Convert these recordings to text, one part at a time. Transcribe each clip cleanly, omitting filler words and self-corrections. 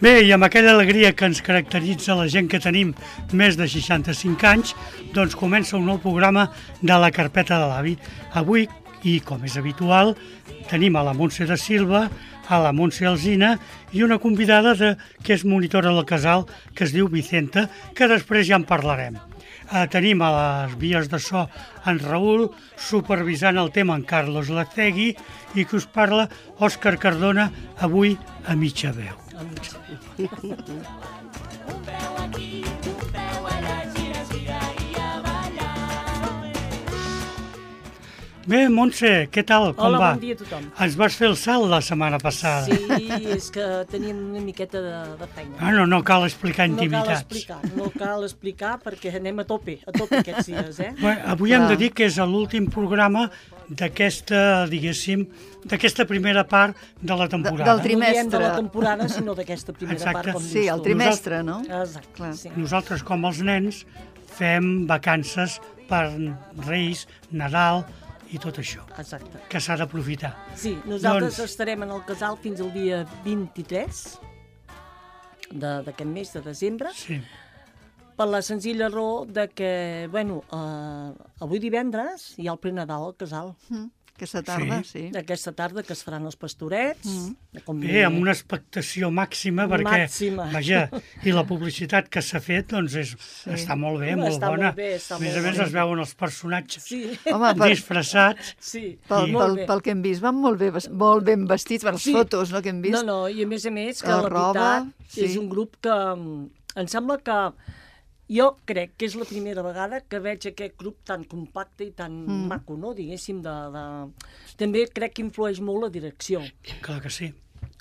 Bé, i amb aquella alegria que ens caracteritza la gent que tenim més de 65 anys, doncs comença un nou programa de la Carpeta de l'Avi. Avui, i com és habitual, tenim a la Montse de Silva, a la Montse Alsina i una convidada que és monitora del casal, que es diu Vicenta, que després ja en parlarem. Tenim a les vies de so en Raül, supervisant el tema en Carlos Lacegui i que us parla Òscar Cardona, avui a mitja veu. Bé, Montse, què tal? Com va? Hola, bon dia a tothom. Ens vas fer el salt la setmana passada. Sí, és que teníem una miqueta de feina. No cal explicar intimitats. No cal explicar perquè anem a tope aquests dies, Bé, avui hem de dir que és l'últim programa d'aquesta, diguéssim, d'aquesta primera part de la temporada. Del trimestre. No diem de la temporada, sinó d'aquesta primera part. Com sí, el trimestre, no? Exacte. Sí. Nosaltres, com els nens, fem vacances per Reis, Nadal i tot això. Exacte. Que s'ha d'aprofitar. Sí, nosaltres estarem en el casal fins al dia 23 d'aquest mes de desembre. Sí. Per la senzilla raó de que, avui divendres hi ha el prenadal al casal. Aquesta tarda, sí. Aquesta tarda que es faran els pastorets. Bé, amb una expectació màxima, perquè, vaja, i la publicitat que s'ha fet, doncs està molt bé, molt bona. A més a més es veuen els personatges disfressats. Sí. Pel que hem vist, van molt ben vestits, per les fotos que hem vist. No, i a més, que la veritat és un grup que em sembla que jo crec que és la primera vegada que veig aquest grup tan compacte i tan maco, no? Diguéssim, també crec que influeix molt la direcció. Clar que sí.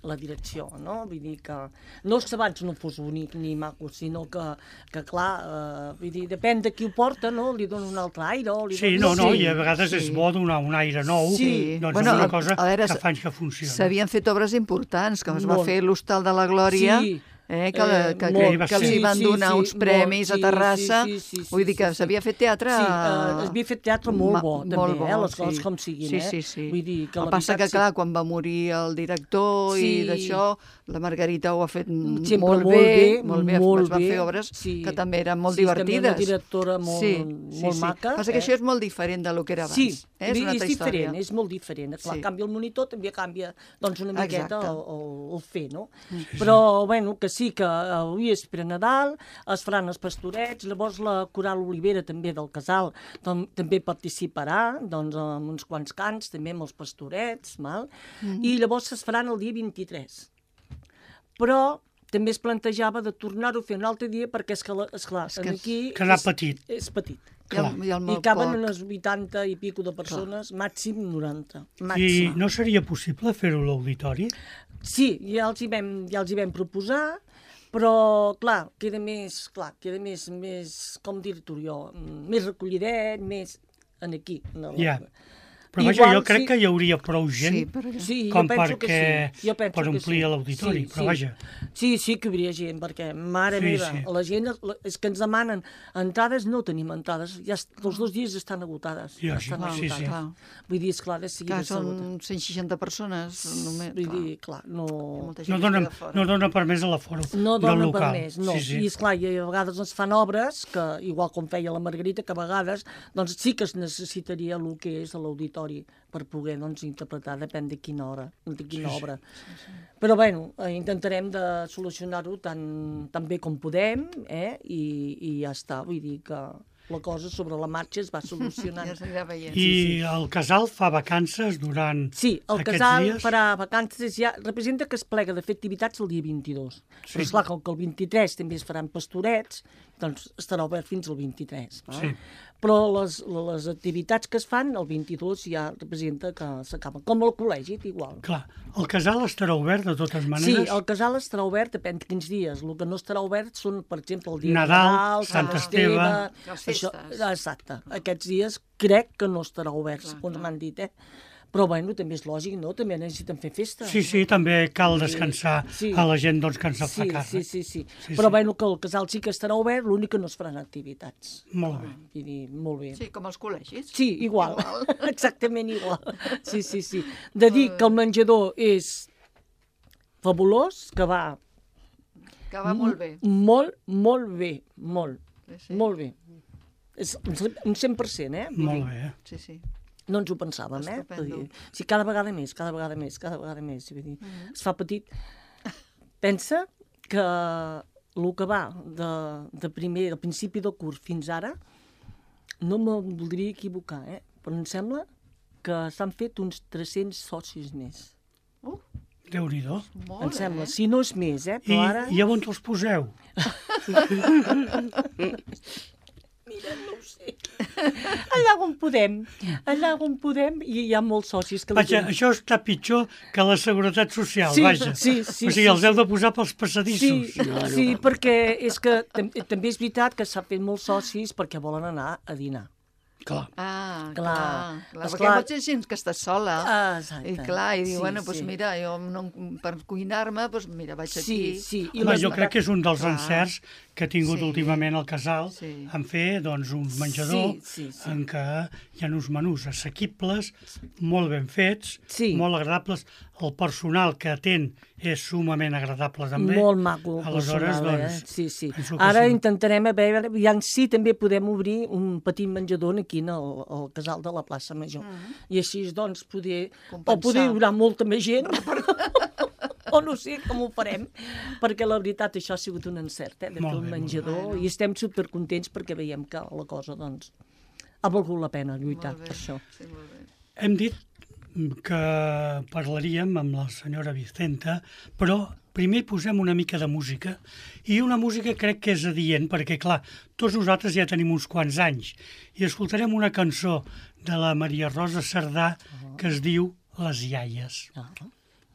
La direcció, no? Vull dir que no és que abans no fos bonic ni maco, sinó que clar, vull dir, depèn de qui ho porta, no? Li dona un altre aire. Sí, i a vegades és bo donar un aire nou, doncs és una cosa que fa anys que funciona. S'havien fet obres importants, com es va fer l'Hostal de la Glòria, que els hi van donar uns premis a Terrassa. Vull dir que s'havia fet teatre... Sí, s'havia fet teatre molt bo, també, les coses com siguin. Sí. Vull dir que el que passa que, clar, quan va morir el director i d'això, la Margarita ho ha fet molt bé, es van fer obres que també eren molt divertides. Sí, també una directora molt maca. Passa que això és molt diferent del que era abans. Sí, és diferent, és molt diferent. Clar, canvia el monitor, també canvia una miqueta el fer, no? Però, que sí, que avui és pre-Nadal, es faran els pastorets, llavors la Coral Olivera també del casal també participarà amb uns quants cants, també amb els pastorets, i llavors es faran el dia 23. Però també es plantejava de tornar-ho a fer un altre dia perquè, esclar, aquí... Quedar petit. És petit. I caben unes 80 i pico de persones, màxim 90. I no seria possible fer-ho a l'auditori? Sí, ja els hi vam proposar, però, clar, queda més, com dir-t'ho jo, més recollidet, més aquí. Ja. Però vaja, jo crec que hi hauria prou gent com per omplir l'auditori, però vaja. Sí, que hi hauria gent, perquè, mare meva, la gent és que ens demanen entrades, no tenim entrades, ja els 2 dies estan agotades. Sí. Vull dir, esclar, de seguida... Clar, són 160 persones, només. Vull dir, clar, no... No dona permès a l'aforo del local. No dona permès, no. I, esclar, a vegades es fan obres, que igual com feia la Margarita, que a vegades sí que es necessitaria el que és a l'auditori per poder interpretar, depèn de quina hora, de quina obra. Però intentarem de solucionar-ho tan bé com podem, i ja està, vull dir que la cosa sobre la marxa es va solucionant. I el casal fa vacances durant aquests dies? Sí, el casal farà vacances, ja representa que es plega de fer activitats el dia 22. Però esclar, com que el 23 també es faran pastorets, doncs estarà obert fins al 23. Però les activitats que es fan, el 22 ja representa que s'acaben. Com al col·legi, igual. Clar, el casal estarà obert de totes maneres? Sí, el casal estarà obert, depèn de quins dies. El que no estarà obert són, per exemple, el dia Nadal, Sant Esteve... Les festes. Exacte. Aquests dies crec que no estarà obert, segons m'han dit, Però, també és lògic, no? També necessiten fer festa. Sí, també cal descansar a la gent que ens fa càrrec. Sí. Però, que el casal sí que estarà obert, l'únic que no es faran activitats. Molt bé. Vull dir, molt bé. Sí, com els col·legis. Sí, igual. Exactament igual. Sí. De dir que el menjador és fabulós, que va Que va molt bé. Molt bé, molt bé. És un 100%, Molt bé. Sí. No ens ho pensàvem, Sí, cada vegada més. Vull dir, es fa petit. Pensa que el que va de principi del curs fins ara, no me'n voldria equivocar, però em sembla que s'han fet uns 300 socis més. Déu-n'hi-do. Em sembla, si no és més, però ara... I on els poseu? Mira, no ho sé. Allà on podem, i hi ha molts socis que... Vaja, això està pitjor que la Seguretat Social, vaja. Sí. O sigui, els heu de posar pels passadissos. Sí, perquè és que també és veritat que s'ha fet molts socis perquè volen anar a dinar. Clar. Clar. Perquè pot ser gent que està sola. Exacte. I diu, mira, jo per cuinar-me, vaig aquí. Sí. Jo crec que és un dels encerts que ha tingut últimament el casal en fer un menjador en què hi ha uns menús assequibles, molt ben fets, molt agradables. El personal que atén és sumament agradable també. Molt maco. Aleshores, Sí. Ara intentarem a veure, si també podem obrir un petit menjador aquí al casal de la plaça Major. I així, poder durar molta més gent. O no sé com ho farem, perquè la veritat això ha sigut un encert, de fer un menjador, i estem supercontents perquè veiem que la cosa, ha valgut la pena lluitar per això. Sí, molt bé. Hem dit que parlaríem amb la senyora Vicenta, però primer posem una mica de música, i una música crec que és adient, perquè, clar, tots nosaltres ja tenim uns quants anys, i escoltarem una cançó de la Maria Rosa Cerdà que es diu Les iaies.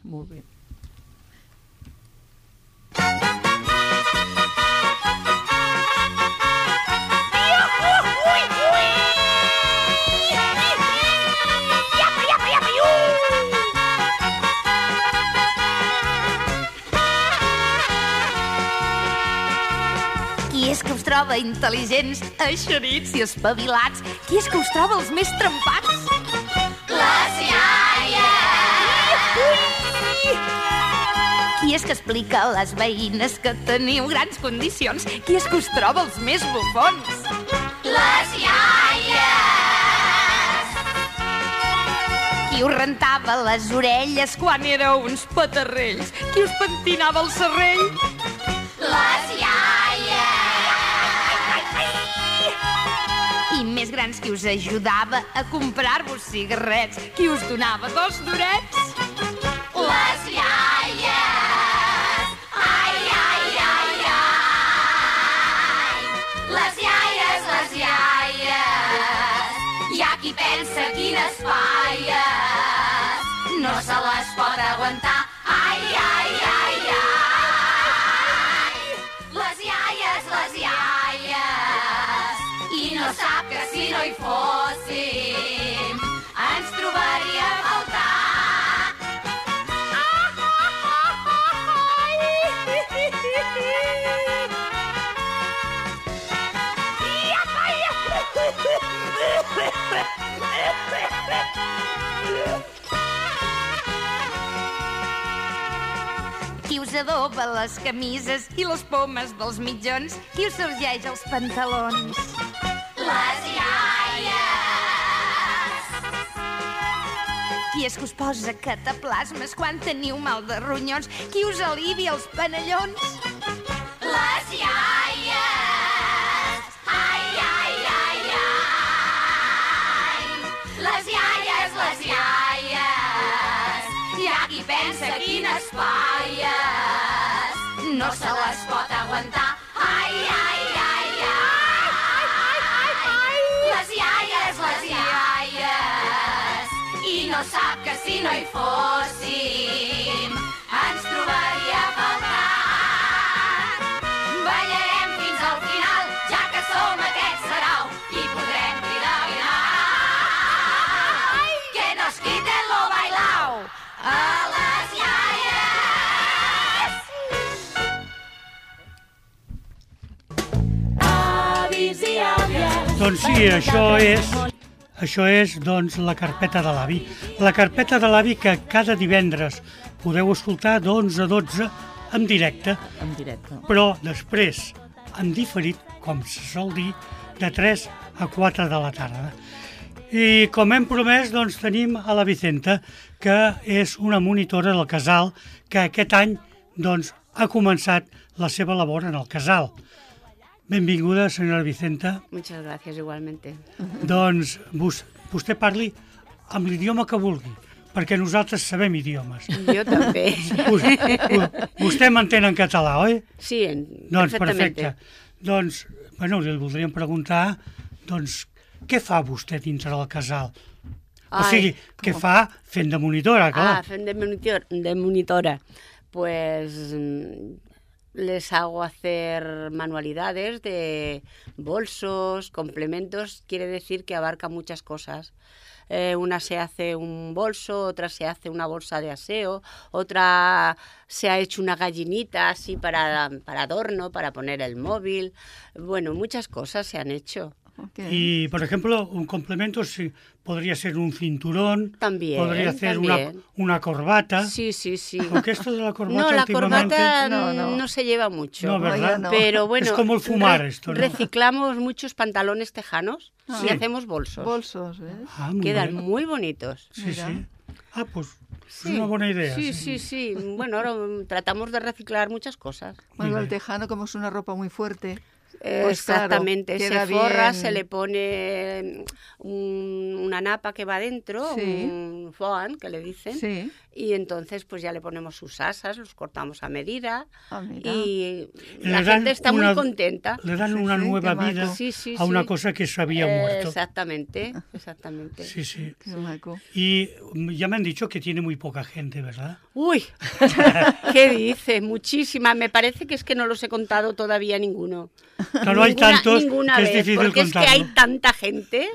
Molt bé. Qui és que us troba intel·ligents, eixerits i espavilats? Qui és que us troba els més trempats? Les iaies! Qui és que explica a les veïnes que teniu grans condicions? Qui és que us troba els més bufons? Les iaies! Qui us rentava les orelles quan éreu uns petarrells? Qui us pentinava el serrell? Les iaies! I més grans, qui us ajudava a comprar-vos cigarrets? Qui us donava 2 durets? Les iaies! Ai, ai, ai, ai! Les iaies, les iaies! Hi ha qui pensa quines falles, no se les pot aguantar. Ai, ai, ai, ai! Les iaies, i no sap que si no hi fóssim ens trobaria a faltar. Qui us adoba les camises i les pomes dels mitjons? Qui us sorgeix els pantalons? Les iaies! Qui és que us posa cataplasmes quan teniu mal de ronyons? Qui us alivia els panellons? Les iaies! Ai, ai, ai, ai! Les iaies, les iaies! Hi ha qui pensa quines falles, no se les pot aguantar. Ai, ai, ai, ai! Les iaies, i no sap que si no hi fóssim ens trobaria a faltar. Ballarem fins al final, ja que som aquest sarau, i podrem cridar ai, que nos quiten lo bailao a les iaies. Avis i àvies. Doncs sí, això és la carpeta de l'avi. La carpeta de l'avi que cada divendres podeu escoltar d'11 a 12 en directe, però després en diferit, com se sol dir, de 3 a 4 de la tarda. I com hem promès, doncs tenim a la Vicenta, que és una monitora del casal, que aquest any doncs, ha començat la seva labor en el casal. Benvinguda, senyora Vicenta. Muchas gracias, igualmente. Doncs vostè parli amb l'idioma que vulgui, perquè nosaltres sabem idiomes. Jo també. Vostè m'entén en català, oi? Sí, doncs, perfectamente. Perfecte. Doncs, bueno, li voldríem preguntar, doncs, què fa vostè dintre del casal? O sigui, què fa fent de monitora, clar. Fent de monitora. Pues les hago hacer manualidades de bolsos, complementos, quiere decir que abarca muchas cosas. Una se hace un bolso, otra se hace una bolsa de aseo, otra se ha hecho una gallinita así para adorno, para poner el móvil. Bueno, muchas cosas se han hecho. Okay. Y, por ejemplo, un complemento podría ser un cinturón, también, podría ser también. Una corbata. Sí, sí, sí. Aunque esto de la corbata no, la últimamente... corbata no se lleva mucho. No, ¿verdad? No. Pero bueno, es como el fumar esto, ¿no? Reciclamos muchos pantalones tejanos y hacemos bolsos. Bolsos, ¿eh? Quedan muy bonitos. Sí, sí. Pues sí. Es una buena idea. Sí. Bueno, ahora tratamos de reciclar muchas cosas. Bueno, el tejano, como es una ropa muy fuerte... Pues exactamente, claro, se forra, bien. se le pone una napa que va dentro, un foam que le dicen, y entonces pues ya le ponemos sus asas, los cortamos a medida y la gente está muy contenta. Le dan una nueva vida a una cosa que se había muerto. Exactamente. Sí. Qué maco. Y ya me han dicho que tiene muy poca gente, ¿verdad? Uy, ¿qué dice? Muchísima. Me parece que es que no los he contado todavía ninguno. Claro, hay tantos ninguna que es vez, difícil porque contarlo. es que hay tanta gente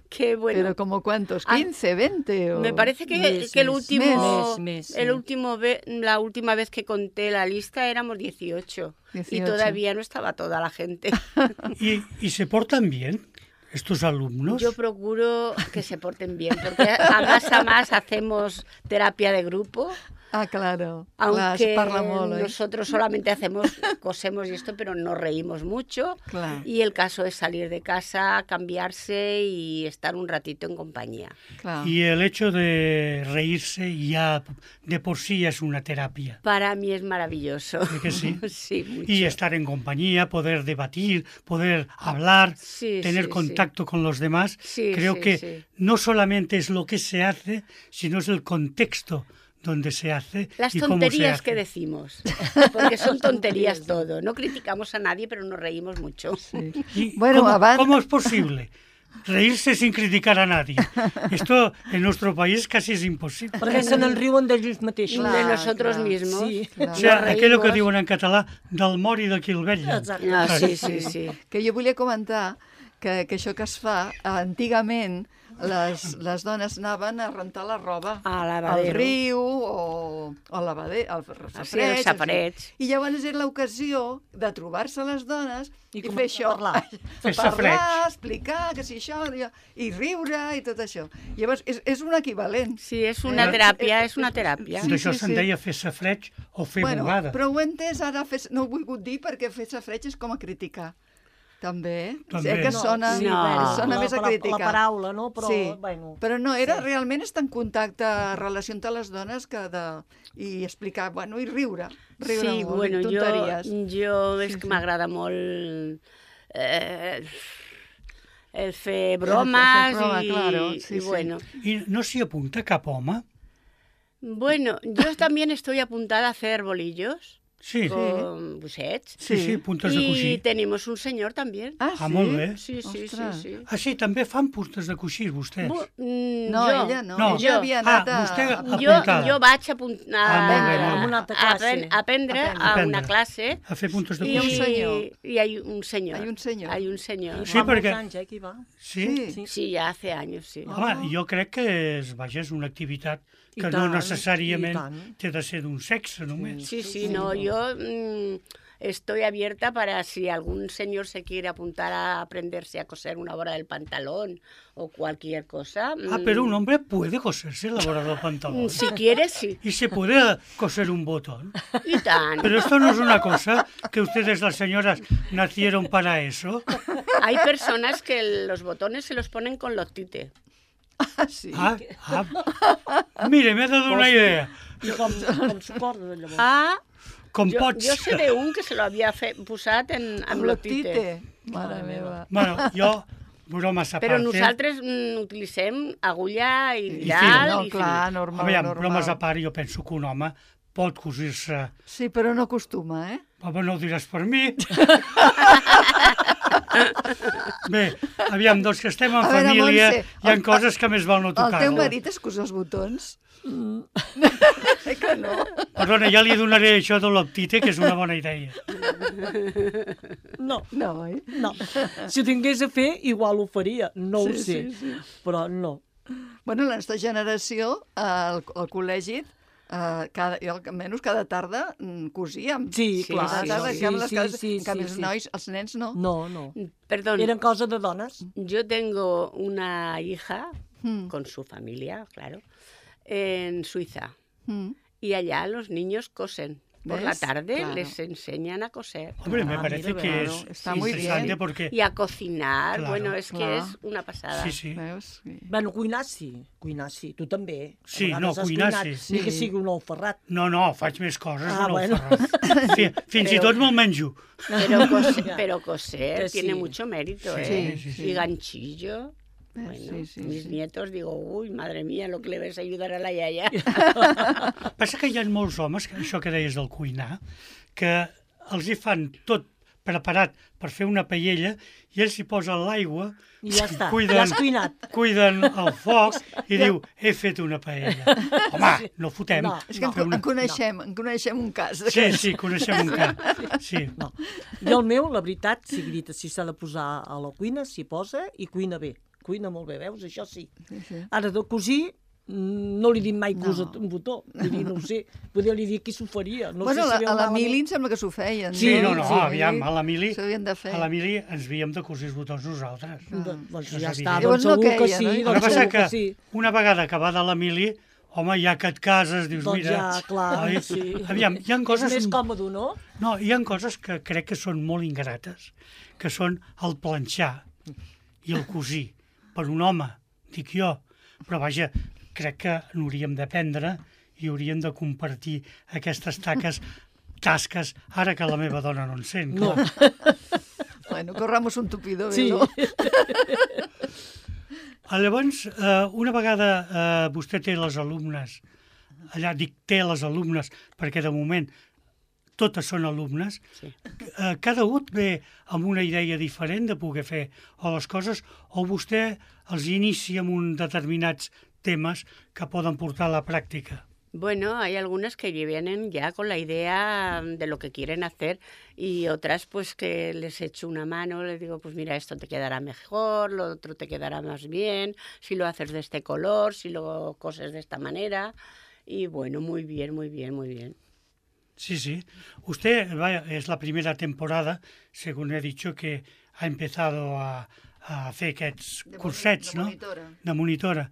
que bueno. ¿Pero como cuántos? ¿15, 20? O... Me parece que la última vez que conté la lista éramos 18. Y todavía no estaba toda la gente. ¿Y se portan bien estos alumnos? Yo procuro que se porten bien, porque a más hacemos terapia de grupo. Ah, claro. Aunque nosotros solamente cosemos y esto, pero nos reímos mucho. Claro. Y el caso es salir de casa, cambiarse y estar un ratito en compañía. Claro. Y el hecho de reírse ya de por sí es una terapia. Para mí es maravilloso. ¿Sí que sí? Sí, mucho. Y estar en compañía, poder debatir, poder hablar, tener contacto con los demás. Creo que no solamente es lo que se hace, sino es el contexto donde se hace las y cómo se tonterías hace. Que decimos, porque son tonterías todo. No criticamos a nadie, pero nos reímos mucho. Sí. Bueno, ¿cómo es posible reírse sin criticar a nadie? Esto en nuestro país casi es imposible. Perquè se n'enriuen d'ells mateixos. De nosotros mismos. Sí. O sea, aquello que diuen en català, del mort i de qui el vetlla. Sí. Que jo volia comentar que això que es fa, antigament, les dones anaven a rentar la roba al riu o al lavader, al safareig. I llavors era l'ocasió de trobar-se les dones i fer això. Parlar, explicar que si això, i riure i tot això. Llavors, és un equivalent. Sí, és una teràpia, és una teràpia. D'això se'n deia fer safareig o fer bugada. Però ho he entès ara, no ho he volgut dir perquè fer safareig és com a criticar. També. Que sona més a criticar. La paraula, no? Però, bueno. Però no, era realment estar en contacte, relació entre les dones i explicar, bueno, i riure molt, tonteries. Jo és que m'agrada molt el fer bromes i bueno. ¿Y no s'hi apunta cap home? Bueno, yo también estoy apuntada a hacer bolillos. Sí. Con bussets. Sí, puntes de coixí. Y tenemos un señor también. Ah, molt bé. Sí. Ah, sí, també fan puntes de coixí, vostès? No, ella no. Ella havia anat vostè apuntada. Jo vaig a aprendre a una classe. A fer puntes de coixí. Y hay un señor. Hay un señor. Sí, perquè... Sí, ja hace anys, sí. Home, jo crec que és una activitat que no necessàriament té de ser d'un sexe només. Sí, no, jo estoy abierta para si algún señor se quiere apuntar a aprenderse a coser una hora del pantalón o cualquier cosa. Pero un hombre puede coserse la hora del pantalón. Si quiere, sí. Y se puede coser un botón. Y tan. Pero esto no es una cosa que ustedes, las señoras, nacieron para eso. Hay personas que los botones se los ponen con lotite. Sí. Mire, me ha dado una idea. I com sucorda, llavors? Com jo pots... sé d'un que se lo havia posat amb lotite. Mare meva. Bueno, jo, bromes a part... Però nosaltres utilitzem agulla i fil. llal. No, clar, normal, Aviam, normal. bromes a part, jo penso que un home pot cosir-se... Sí, però no acostuma, eh? Home, no ho diràs per mi. Bé, aviam, doncs que estem en família, hi ha coses que més val no tocar-lo. El teu marit es cos els botons? Que no? Perdona, ja li donaré això de l'optite, que és una bona idea. No, No, oi? no. Si ho tingués a fer, igual ho faria. No ho sé, però no. Bueno, la nostra generació, al col·legi, jo almenys cada tarda cosíem. Sí, clar. Cada tarda, Sí, en canvi els nois, els nens no. No. Perdón, Eren cosa de dones. yo tengo una hija con su familia, claro, en Suiza. Y allá los niños cosen. Por la ¿Ves? tarde Claro. les enseñan a coser. Hombre, me parece mira, que claro, es está muy interesante bien. porque... Y a cocinar, Claro, bueno, es que claro. es una pasada. Sí, sí. Veus? Sí. Bueno, cuinar sí. Tu també. A Sí, vegades no, has cuinar cuinat, sí. Ni que Sí. sigui un ou ferrat. No, faig més coses, Ah, no bueno. ho faràs. Fins i tot me'l menjo. Pero coser Que sí. tiene mucho mérito, Sí, ¿eh? sí, sí. Y ganchillo. Bueno, mis nietos digo, uy, madre mía, lo que le ves a ayudar a la yaya. Passa que hi ha molts homes, això que deies del cuinar, que els hi fan tot preparat per fer una paella i ells hi posen l'aigua, I ja està, ja has cuinat. cuiden el foc i diu, he fet una paella. Home, no fotem. No, És que en coneixem un cas. Sí, coneixem un cas. Sí. No. I el meu, la veritat, sigui dit, si s'ha de posar a la cuina, s'hi posa i cuina bé. Cuina molt bé, veus? Això sí. Ara, de cosir, no li dic mai cosa un botó. Vull dir, no ho sé. Poder li dir qui s'ho faria. No Bueno, sé si a la Mili em sembla que s'ho feien. Sí, no, sí, aviam, a la Mili S'ho havien de fer. ens havíem de cosir els botons nosaltres. Doncs Això és ja evident. està, Llavors doncs no segur que queia, sí. no? El que Doncs passa segur que que sí. una vegada acabada la Mili, home, ja que et cases, dius, Doncs mira... ja, clar, oi? sí. Aviam, hi ha coses... És més còmode, no? No, hi ha coses que crec que són molt ingrates, que són el planxar i el cosir. Per un home, dic jo, però vaja, crec que n'hauríem d'aprendre i hauríem de compartir aquestes tasques, ara que la meva dona no en sent. No. Clar. Bueno, corramos un tupido Sí. velo. Llavors, una vegada vostè té les alumnes, allà dic té les alumnes, perquè de moment totes són alumnes, cada un ve amb una idea diferent de poder fer o les coses, o vostè els inicia amb un determinats temes que poden portar a la pràctica. Bueno, hay algunas que vienen ya con la idea de lo que quieren hacer y otras pues que les echo una mano, les digo, pues mira, esto te quedará mejor, lo otro te quedará más bien, si lo haces de este color, si lo coses de esta manera. Y bueno, muy bien, muy bien, muy bien. Sí, sí. Usted es la primera temporada, según he dicho, que ha empezado a fer aquests cursets, no? De monitora.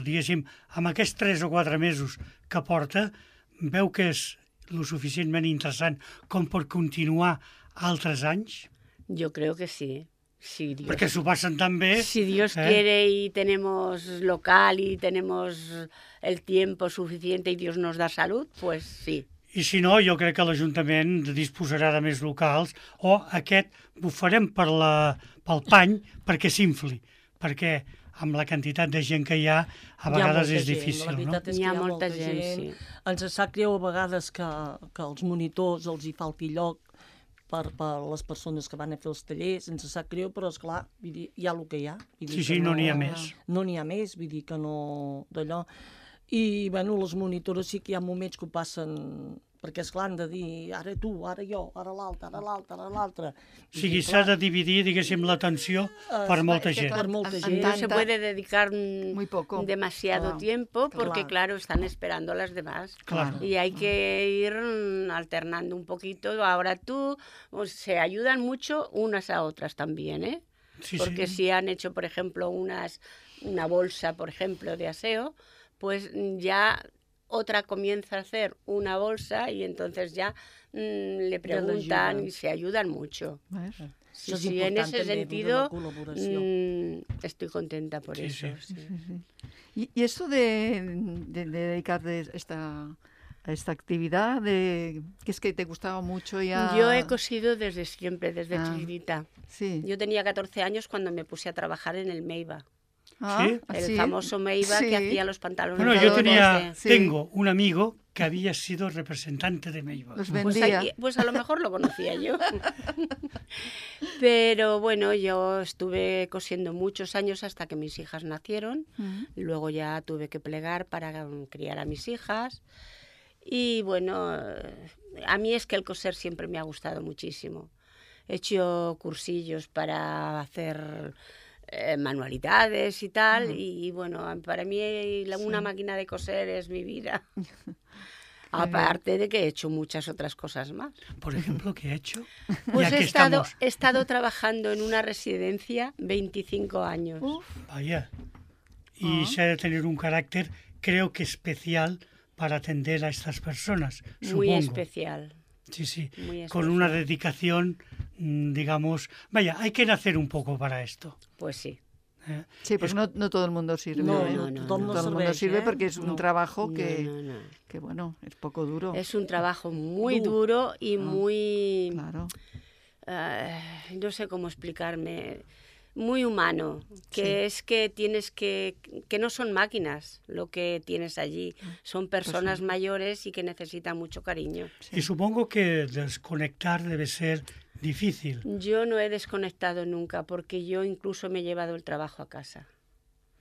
Diguéssim, amb aquests 3 o 4 mesos que porta, veu que és lo suficientment interessant com per continuar altres anys? Yo creo que sí. Si Dios, Perquè s'ho passen tan bé... si Dios quiere y tenemos local y tenemos el tiempo suficiente y Dios nos da salud, pues sí. I si no, jo crec que l'Ajuntament disposarà de més locals o aquest ho farem pel pany perquè s'infli, perquè amb la quantitat de gent que hi ha, a vegades és difícil, no? La veritat és que Hi ha molta gent, sí. Ens sap greu a vegades que als monitors els hi falti lloc per les persones que van a fer els tallers, ens sap greu, però esclar, vull dir, hi ha el que hi ha. Sí, no n'hi ha més. No n'hi ha més, vull dir que no d'allò. I, bueno, les monitores sí que hi ha moments que ho passen perquè esclar, han de dir ara tu, ara jo, ara l'altre, ara l'altre, ara l'altre. O sigui, s'ha de dividir, diguéssim, l'atenció per molta gent. Per molta gent. No se puede dedicar Claro. demasiado tiempo porque, claro, están esperando a las demás. Claro. Y hay que ir alternando un poquito. Ahora tú, se ayudan mucho unas a otras también, ¿eh? Sí, Porque sí. si han hecho, por ejemplo, una bolsa, por ejemplo, de aseo, pues ya otra comienza a hacer una bolsa y entonces ya le preguntan y se ayudan mucho. Sí, Això és sí, en important, ese també, sentido la col·laboració. estoy contenta por Sí, eso. sí. Sí. Y esto de dedicarte a esta actividad, que es que te gustaba mucho ya... Yo he cosido desde siempre, desde chiquitita. Sí. Yo tenía 14 años cuando me puse a trabajar en el Meiba. ¿Sí? El famoso Meiba que hacía los pantalones. Bueno, yo Sí. tengo un amigo que había sido representante de Meiba. Los Pues, vendía. pues a lo mejor lo conocía yo. Pero bueno, yo estuve cosiendo muchos años hasta que mis hijas nacieron. Luego ya tuve que plegar para criar a mis hijas. Y bueno, a mí es que el coser siempre me ha gustado muchísimo. He hecho cursillos para hacer manualidades y tal. Y bueno, para mí una máquina de coser es mi vida. Aparte de que he hecho muchas otras cosas más. Por ejemplo, ¿qué he hecho? Pues Ya que he estado trabajando en una residencia 25 años. Vaya. Y se ha de tener un carácter, creo que especial, para atender a estas personas, supongo. Muy especial. Sí, sí. Muy Con una dedicación, digamos... Vaya, hay que nacer un poco para esto. Pues sí. Sí, pues no todo el mundo sirve. No, ¿eh? no, no, tothom no. no Todo el mundo serveix, sirve porque es un No. trabajo No, que, no. que, bueno, es poco duro. Es un trabajo muy duro y muy... Claro. no sé cómo explicarme, muy humano, que es que tienes que no son máquinas lo que tienes allí, son personas mayores y que necesitan mucho cariño. Y supongo que desconectar debe ser difícil. Yo no he desconectado nunca porque yo incluso me he llevado el trabajo a casa.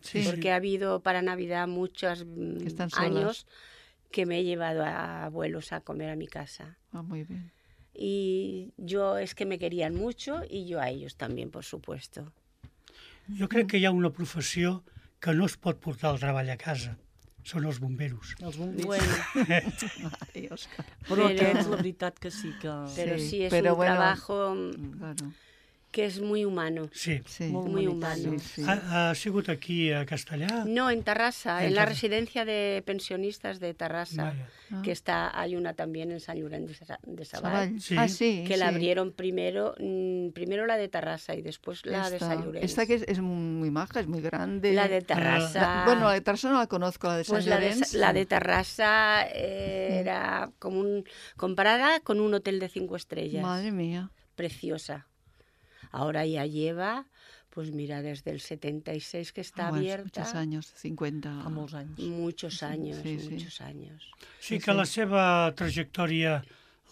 Sí, Porque ha habido para Navidad muchos están solas. años que me he llevado a abuelos a comer a mi casa. Ah, muy bien. Y yo es que me querían mucho y yo a ellos también, por supuesto. Jo crec que hi ha una professió que no es pot portar el treball a casa. Són els bomberos. Els bombers. Bueno, Ay, Òscar. Però Però- aquests, la veritat que sí que... pero Sí, sí es pero un bueno, trabajo Claro. que es muy humano. Sí. Sí. Muy humano. Sí, sí. Ha sigut aquí a Castellà? No, en Tarrasa, En en la Tarrasa. residencia de pensionistas de Tarrasa, Vaya. que hay una también en Sant Llorenç de Savall, Savall. Sí. Ah, sí. que la sí. abrieron primero la de Tarrasa y después la de Sant Llorenç. Esta que es muy maja, es muy grande. La de Tarrasa. Bueno, la de Tarrasa no la conozco, la de Sant Pues Llorenç. la de Tarrasa era como comparada con un hotel de 5 estrellas. Madre mía. Preciosa. Ahora ya lleva, pues mira, desde el 76 que está Bueno, abierta. Muchos años, 50. Fa molts anys. Muchos años, Sí, sí. muchos años. Sí que la seva trajectòria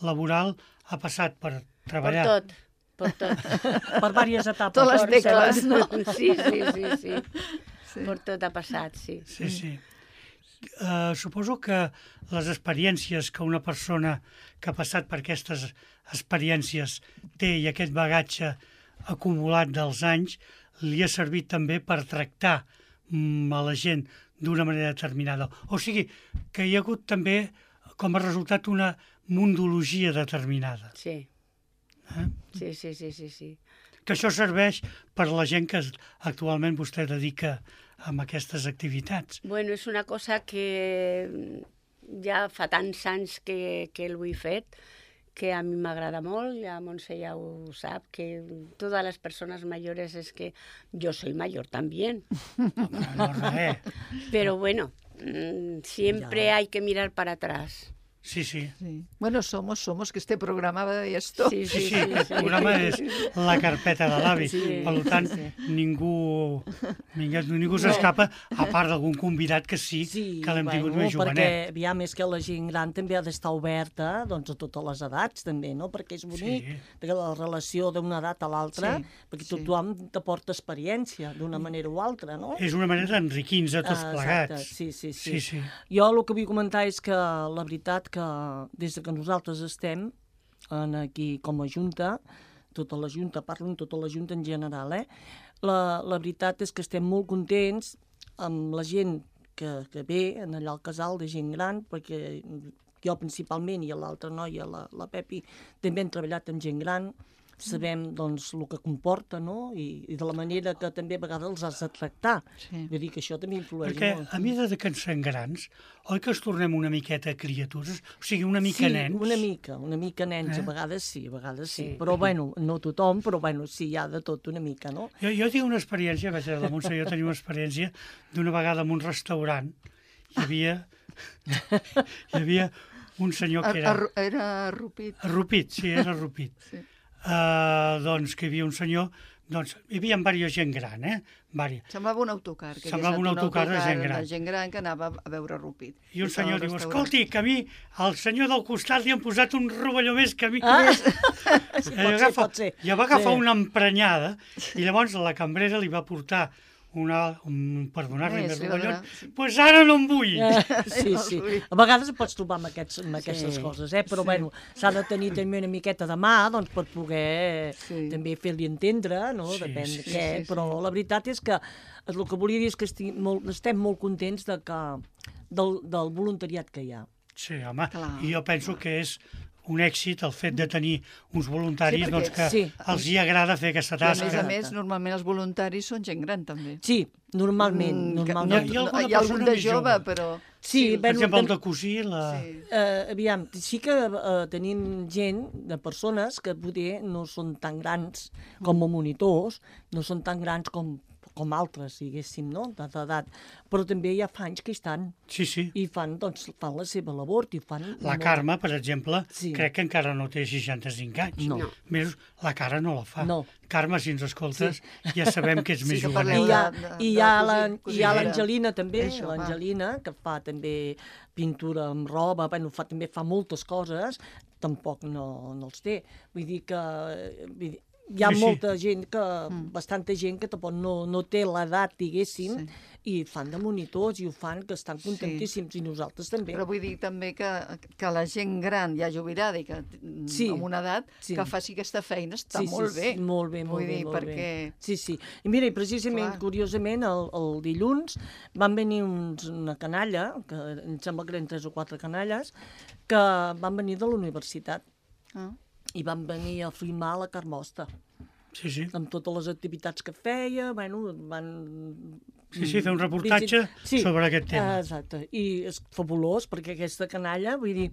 laboral ha passat per Por treballar. tot, por tot. Per diverses etapes. Totes les Por tecles, tot. no? Sí, sí, sí. Sí. Por tot ha passat, sí. Sí, sí. Suposo que les experiències que una persona que ha passat per aquestes experiències té i aquest bagatge acumulat dels anys li ha servit també per tractar a la gent d'una manera determinada. O sigui, que hi ha hagut també com a resultat una mundologia determinada. Sí. Sí, sí, sí, sí, sí. Que això serveix per la gent que actualment vostè dedica a aquestes activitats. Bueno, és una cosa que ja fa tants anys que ho he fet, que a mi m'agrada molt, ja Montse ja ho sap, que todas las personas mayores es que yo soy mayor también. No, res. Pero bueno, siempre Ya. hay que mirar para atrás. Sí, sí. Sí. Bueno, somos que este programa va de esto. Sí, Sí, sí, sí, sí, aquest sí. programa és la carpeta de l'avi. Sí, Per tant, ningú s'escapa, a part d'algun convidat que sí, que l'hem tingut més perquè jovenet. aviam, és que la gent gran també ha d'estar oberta doncs, a totes les edats, també, no? Perquè és bonic Sí. la relació d'una edat a l'altra, Sí, perquè sí. tothom t'aporta experiència d'una manera o altra, no? És una manera d'enriquir-nos a tots Exacte, plegats. sí, sí, sí. Sí, sí. Jo el que vull comentar és que la veritat que nosaltres estem aquí com a Junta, tota la Junta, parlo en tota la Junta en general, la veritat és que estem molt contents amb la gent que ve allà al casal de gent gran, perquè jo principalment i l'altra noia, la Pepi, també hem treballat amb gent gran, sabem doncs el que comporta, no? I de la manera que també a vegades els has de tractar. Vull dir que això també influeix molt. Perquè a mesura que ens fem grans, oi que ens tornem una miqueta criatures? O sigui, una mica nens? Sí, una mica nens, a vegades sí. Però bueno, no tothom, però bueno, sí, hi ha de tot una mica, no? Jo tinc una experiència, vaig a la Montse, jo tenia una experiència d'una vegada en un restaurant, hi havia un senyor que era... Era Rupit. Rupit, sí, era Rupit. Sí. Doncs que hi havia un senyor, doncs hi havia diversa gent gran, Semblava un autocar. Semblava un autocar de gent gran. De gent gran que anava a veure Rupit. I un senyor diu, escolti, que a mi, el senyor del costat li han posat un rovelló més que a mi. Pot ser. I va agafar una emprenyada i llavors la cambrera li va portar per donar-li més rovellons, doncs ara no em vull. Sí. A vegades pots trobar amb aquestes coses, però bueno, s'ha de tenir també una miqueta de mà per poder també fer-li entendre, no? Depèn de què, però la veritat és que el que volia dir és que estem molt contents del voluntariat que hi ha. Sí, home, i jo penso que és un èxit el fet de tenir uns voluntaris que els hi agrada fer aquesta tasca. A més, normalment els voluntaris són gent gran, també. Sí, normalment. Hi ha algun de jove, però... Sí, per exemple, el de cosir... Aviam, sí que tenim gent, de persones, que poder no són tan grans com a monitors, no són tan grans com altres, diguéssim, no?, d'edat. Però també hi ha fans que hi estan. Sí. I fan la seva labor. La Carme, per exemple, crec que encara no té 65 anys. No. Més, la cara no la fa. No. Carme, si ens escoltes, ja sabem que ets més jovenet. I hi ha l'Angelina també, l'Angelina, que fa també pintura amb roba, també fa moltes coses, tampoc no els té. Vull dir que... Hi ha molta gent, bastanta gent que tampoc no té l'edat, diguéssim, i fan de monitors i ho fan, que estan contentíssims, i nosaltres també. Però vull dir també que la gent gran, ja jubilada i amb una edat, que faci aquesta feina està molt bé. Molt bé. Sí. I mira, precisament, curiosament, el dilluns van venir una canalla, que em sembla que eren 3 o 4 canalles, que van venir de la universitat. I van venir a filmar la Carmosta. Sí. Amb totes les activitats que feia, van... Sí, fer un reportatge sobre aquest tema. Exacte, i és fabulós, perquè aquesta canalla, vull dir,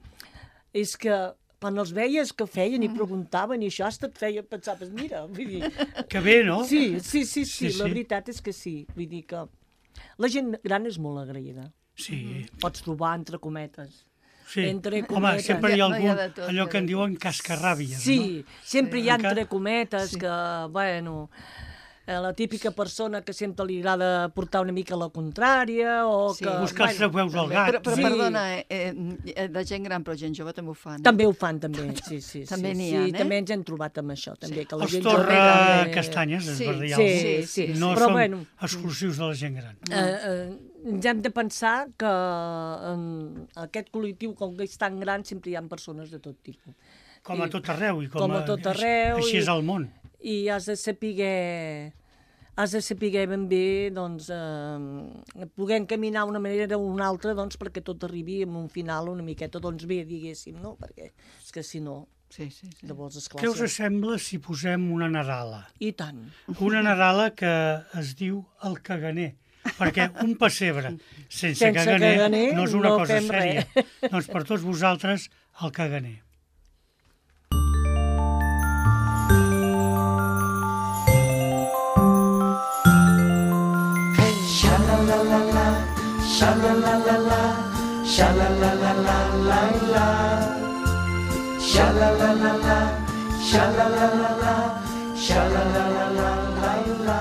és que quan els veies que feien i preguntaven i això hasta et feia pensar, mira, vull dir... Que bé, no? Sí, la veritat és que sí, vull dir que la gent gran és molt agraïda. Sí. Pots trobar entre cometes. Sí, home, sempre hi ha algun, allò que en diuen cascarràbies, no? Sí, sempre hi ha entre cometes que, bueno, la típica persona que sempre li agrada portar una mica la contrària o que... Buscar els trofeus al gat. Però perdona, de gent gran, però gent jove també ho fan. També ho fan, també, sí. També n'hi ha, també ens hem trobat amb això, també. Els torra castanyes, per dir alguna cosa. Sí. No són exclusius de la gent gran. Ens hem de pensar que en aquest col·lectiu, com que és tan gran, sempre hi ha persones de tot tipus. Com a tot arreu. Com a tot arreu. Així és el món. I has de saber ben bé, doncs, poder encaminar d'una manera o una altra, doncs, perquè tot arribi a un final una miqueta, doncs, bé, diguéssim, no? Perquè és que si no... Sí. Llavors, esclar, què us sembla si posem una nadala? I tant. Una nadala que es diu el caganer. Perquè un pessebre sense caganer no és una cosa sèria. Doncs per tots vosaltres, el caganer. Xa-la-la-la-la, xa-la-la-la-la, xa-la-la-la-la-la-la, xa-la-la-la-la, xa-la-la-la-la, xa-la-la-la-la-la-la.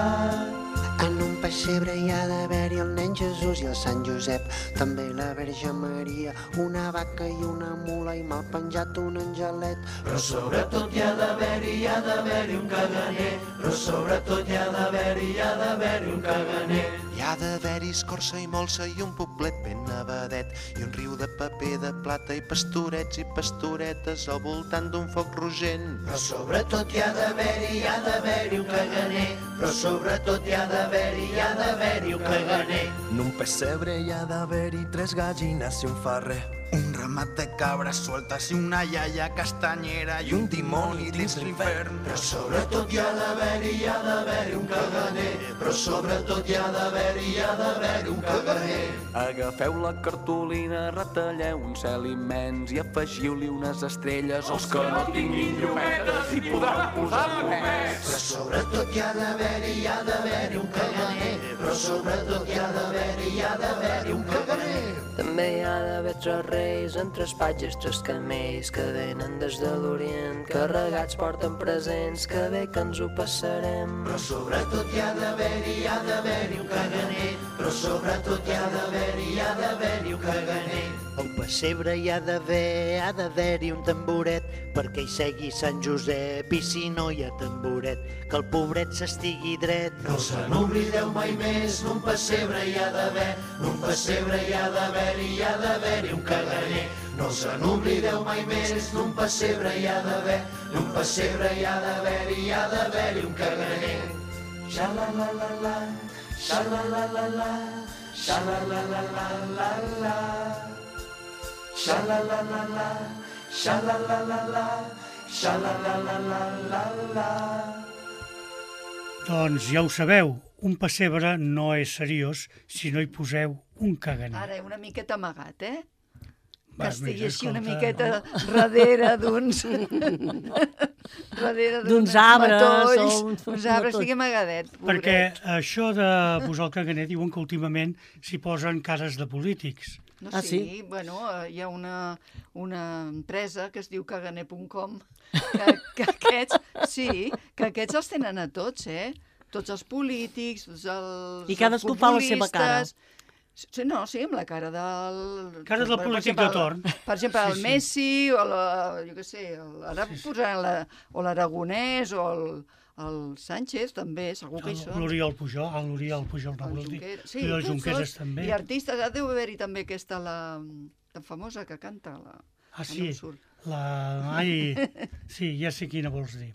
En un pessebre hi ha d'haver-hi el nen Jesús i el Sant Josep, també la Verge Maria, una vaca i una mula i mal penjat un angelet. Però sobretot hi ha d'haver-hi un caganer, però sobretot hi ha d'haver-hi un caganer. Hi Ha d'haver-hi escorça i molsa i un poblet ben nevadet i un riu de paper de plata i pastorets i pastoretes al voltant d'un foc rogent. Però sobretot hi ha d'haver-hi un caganer. Però sobretot hi ha d'haver-hi un caganer. En un pessebre hi ha d'haver-hi 3 gallines i un ferrer. Un ramat de cabres sueltes i una iaia castanyera i un dimoni dins l'infern. Però sobretot hi ha d'haver-hi un caganer. Però sobretot hi ha d'haver-hi un caganer. Agafeu la cartolina, retalleu un cel immens i afegiu-li unes estrelles. Els que no tinguin llumetes hi podran posar només. Però sobretot hi ha d'haver-hi un caganer. Però sobretot hi ha d'haver-hi un caganer. També hi ha d'haver 3 reis en 3 patges, 3 camells que venen des de l'Orient, carregats porten presents, que bé que ens ho passarem. Però sobretot hi ha d'haver-hi un caganer. Però sobretot hi ha d'haver-hi un caganer. Al pessebre hi ha d'haver-hi un tamboret perquè hi segui Sant Josep i si no hi ha tamboret que el pobret s'estigui dret. No se n'oblideu mai més, en un pessebre hi ha d'haver, en un pessebre hi ha d'haver-hi un caganer. No se n'oblideu mai més, en un pessebre hi ha d'haver, en un pessebre hi ha d'haver-hi un caganer. Xa-la-la-la-la, xa-la-la-la-la, xa-la-la-la-la-la-la. Xa-la-la-la-la, xa-la-la-la-la, xa-la-la-la-la-la. Doncs ja ho sabeu, un pessebre no és seriós si no hi poseu un caganer. Ara, una miqueta amagat, eh? Va, que estigui més, així una escolta, miqueta darrere d'uns... darrere d'uns arbres matolls, o uns arbres, estigui amagadet. Perquè això de posar el caganer diuen que últimament s'hi posen cares de polítics. No, Ah, sí? sí? Bueno, hi ha una empresa que es diu caganer.com que aquests els tenen a tots, eh? Tots els polítics, tots els I cadascú fa la seva cara. Sí, no, sí, amb la cara del... Cara del polític de torn. Per exemple, el Sí, sí. Messi, o jo què sé, ara posaran o l'Aragonès, o el Sánchez, també, segur que hi són. L'Oriol Pujol, l'Oriol Pujol, no vols dir. Sí, I el tots Junqueras dos. també. I artistes, ara deu haver-hi també aquesta, tan famosa que canta. Ah, sí, no em surt. sí, ja sé quina vols dir.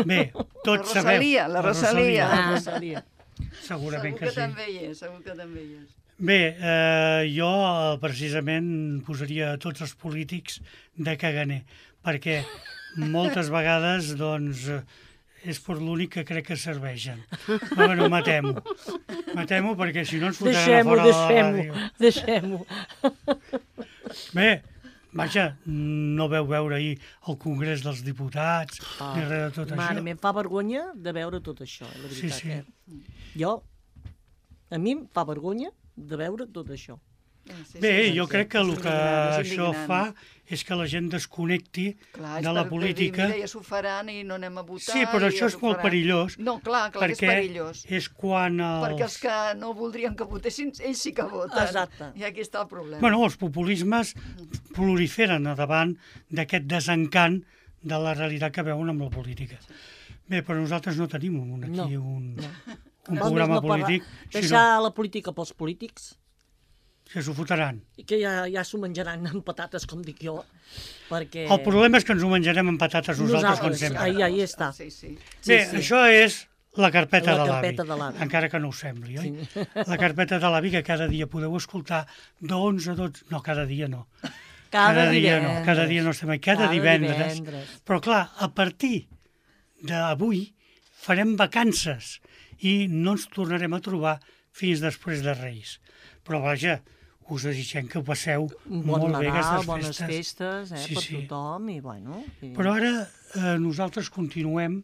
Bé, tots sabeu. La Rosalia. Rosalia. Segurament Segur que sí. també hi és, segur que també hi és. Bé, jo precisament posaria tots els polítics de caganer, perquè moltes vegades, doncs, és per l'únic que crec que serveixen. Però bueno, matem-ho. Matem-ho perquè si no ens fotran a fora de la ràdio. Deixem-ho. Bé, vaja, no veu veure ahir el Congrés dels Diputats, ni res de tot Mare, això. em fa vergonya de veure tot això, la veritat. Sí, sí. Jo, a mi em fa vergonya de veure tot això. Sí, Bé, sí, jo sí. crec que el És que indignant, és això indignant. fa és que la gent desconnecti Clar, és de la per política. dir, mira, ja s'ho faran i no anem a votar. Sí, però i això ja és s'ho molt faran. perillós. No, clar que és perquè perillós. és quan Perquè els que no voldrien que votessin, ells sí que voten. Exacte. I aquí està el problema. Bueno, els populismes proliferen a davant d'aquest desencant de la realitat que veuen amb la política. Bé, però nosaltres no tenim aquí un programa polític, Deixar la política pels polítics, que s'ho fotran. i que ja s'ho menjaran amb patates, com dic jo, perquè... El problema és que ens ho menjarem amb patates nosaltres, com sempre. Ahí està. Sí, sí. Bé, això és la carpeta La de carpeta de l'avi, l'avi. encara que no us sembli, oi? La carpeta de l'avi que cada dia podeu escoltar d'11 a 12... No, cada dia no. Cada dia no estem aquí, cada divendres. Però clar, a partir d'avui farem vacances i no ens tornarem a trobar fins després de Reis. Però vaja, us desitgem que ho passeu molt bé aquestes festes. Bones festes, Sí, per sí. tothom, i bueno... Però ara nosaltres continuem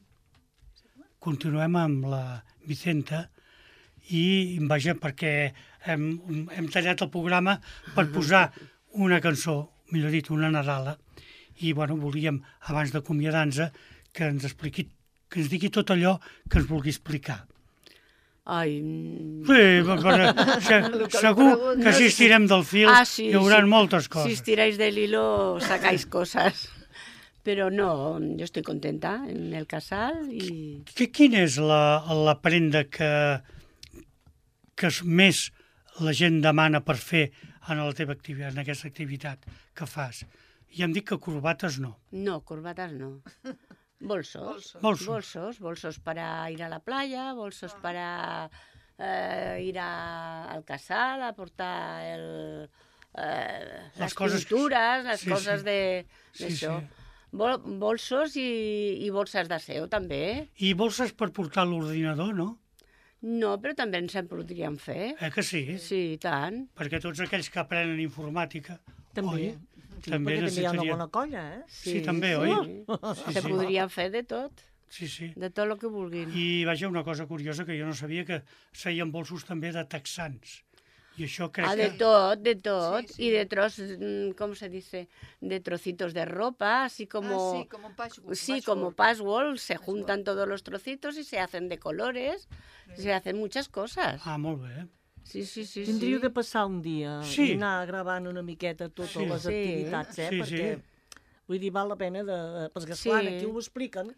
amb la Vicenta i vaja, perquè hem tallat el programa per posar una cançó, millor dit, una Nadala, i bueno, volíem, abans d'acomiadar-nos, que ens expliqui, que ens digui tot allò que ens vulgui explicar. Ai... Sí, però segur que si estirem del fil sí, hi haurà sí. moltes coses. Si estiráis del hilo sacáis cosas. Pero no, yo estoy contenta en el casal y... Quina és la prenda que que més la gent demana per fer en la teva activitat, en aquesta activitat que fas? I em dic que corbates no. No, corbatas no. Bolsos. Bolsos para ir a la playa, bolsos para ir al casal, a portar las pinturas, las cosas de això. Bolsos i bolses d'aseo, també. I bolses per portar l'ordinador, no? No, però també ens en podríem fer. Que sí? Sí, i tant. Perquè tots aquells que aprenen informàtica... També. Sí, també hi ha una bona colla, Sí, també, oi? Se podria fer de tot. Sí. De tot el que vulguin. I vaja, una cosa curiosa que jo no sabia, que feien bolsos també de texans. I això crec que... De tot. Sí. Y de ¿cómo se dice? De trocitos de ropa, así como... sí, como un patchwork. Sí, como patchwork, se juntan todos los trocitos y se hacen de colores, se hacen muchas cosas. Molt bé. Sí. Tindríeu de passar un dia i anar gravant una miqueta totes les activitats, perquè, vull dir, val la pena perquè, esclar, aquí ho expliquen,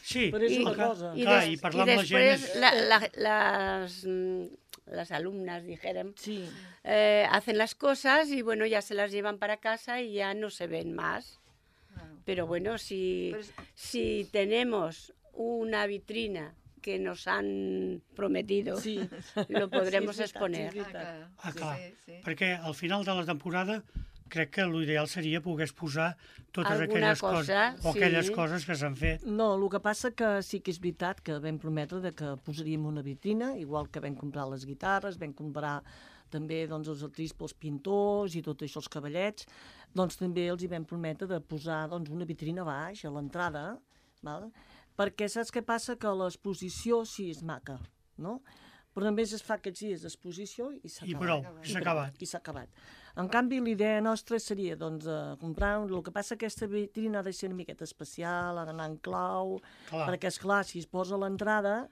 però és una cosa. I parlar amb la gent... Las alumnas, dijérem, hacen las cosas y bueno, ya se las llevan para casa y ya no se ven más. Pero bueno, si tenemos una vitrina que nos han prometido, lo podrem exponer. Clar, perquè al final de la temporada crec que l'ideal seria poder posar totes aquelles coses o aquelles coses que s'han fet. No, el que passa que sí que és veritat que vam prometre que posaríem una vitrina, igual que vam comprar les guitarres, vam comprar també els artistes pels pintors i tot això, els cavallets, doncs també els hi vam prometre de posar una vitrina a baix, a l'entrada, perquè saps què passa? Que l'exposició sí és maca, no? Però només es fa aquests dies d'exposició i s'ha acabat. I s'ha acabat. En canvi, l'idea nostra seria comprar... El que passa que aquesta vitrina ha de ser una miqueta especial, ha d'anar en clau, perquè, esclar, si es posa a l'entrada,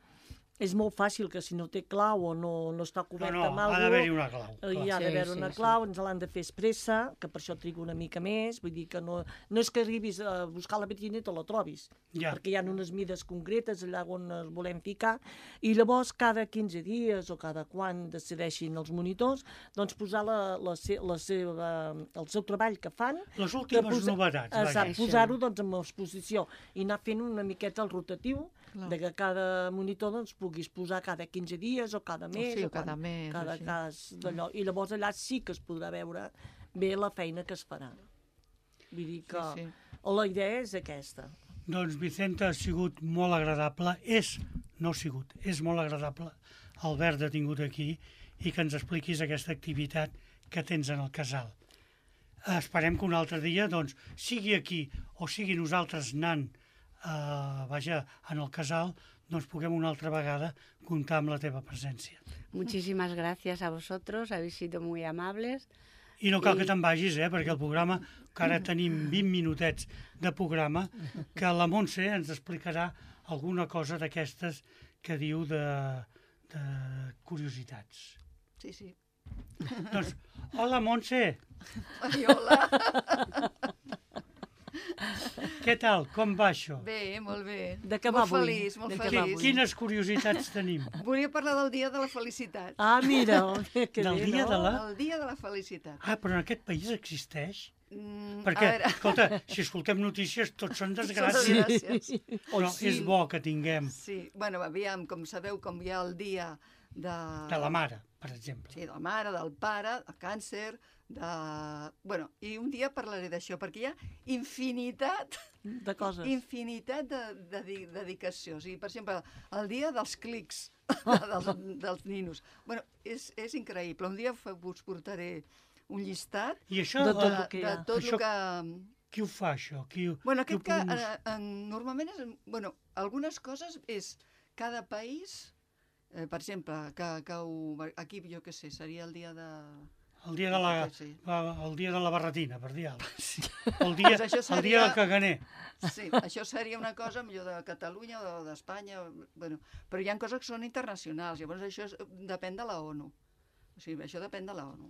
és molt fàcil que si no té clau o no està coberta amb alguna cosa... ha d'haver-hi una clau. Hi ha d'haver una clau, ens l'han de fer expressa, que per això trigo una mica més, vull dir que no és que arribis a buscar la vitrina i te la trobis, perquè hi ha unes mides concretes allà on es volem ficar, i llavors cada 15 dies o cada quan decideixin els monitors, doncs posar el seu treball que fan... Les últimes novetats. Exacte, posar-ho en exposició i anar fent una miqueta el rotatiu, de que cada monitor puguis posar cada 15 dies o cada mes, cada cas d'allò. I llavors allà sí que es podrà veure bé la feina que es farà. Vull dir que la idea és aquesta. Doncs, Vicenta, ha sigut molt agradable. És molt agradable haver-te tingut aquí i que ens expliquis aquesta activitat que tens en el casal. Esperem que un altre dia, sigui aquí o sigui nosaltres anant en el casal, puguem una altra vegada comptar amb la teva presència. Muchísimas gracias a vosotros, habéis sido muy amables. I no cal que te'n vagis, perquè el programa, que ara tenim 20 minutets de programa, que la Montse ens explicarà alguna cosa d'aquestes que diu de curiositats. Sí. Doncs, hola, Montse! Ai, hola! Què tal? Com va això? Bé, molt bé. De què va avui? Molt feliç. Quines curiositats tenim? Volia parlar del Dia de la Felicitat. Ah, mira, que del dia de la... El Dia de la Felicitat. Però en aquest país existeix? Perquè, escolta, si escoltem notícies, tots són desgràcies. Però és bo que tinguem... Sí, bueno, aviam, com sabeu, com hi ha el dia de... De la mare, per exemple. Sí, de la mare, del pare, el càncer... Bueno, i un dia parlaré d'això, perquè hi ha infinitat de coses, infinitat de dedicació. O sigui, per exemple, el dia dels clics dels ninos. Bueno, és increïble. Un dia us portaré un llistat de tot el que hi ha. Qui ho fa, això? Bueno, aquest que normalment és... Bueno, algunes coses és cada país, per exemple, aquí, jo què sé, seria el dia de... El dia de la barretina, per dir alguna cosa. El dia del caganer. Sí, això seria una cosa millor de Catalunya o d'Espanya. Bueno, però hi ha coses que són internacionals, llavors això depèn de la ONU. O sigui, això depèn de la ONU.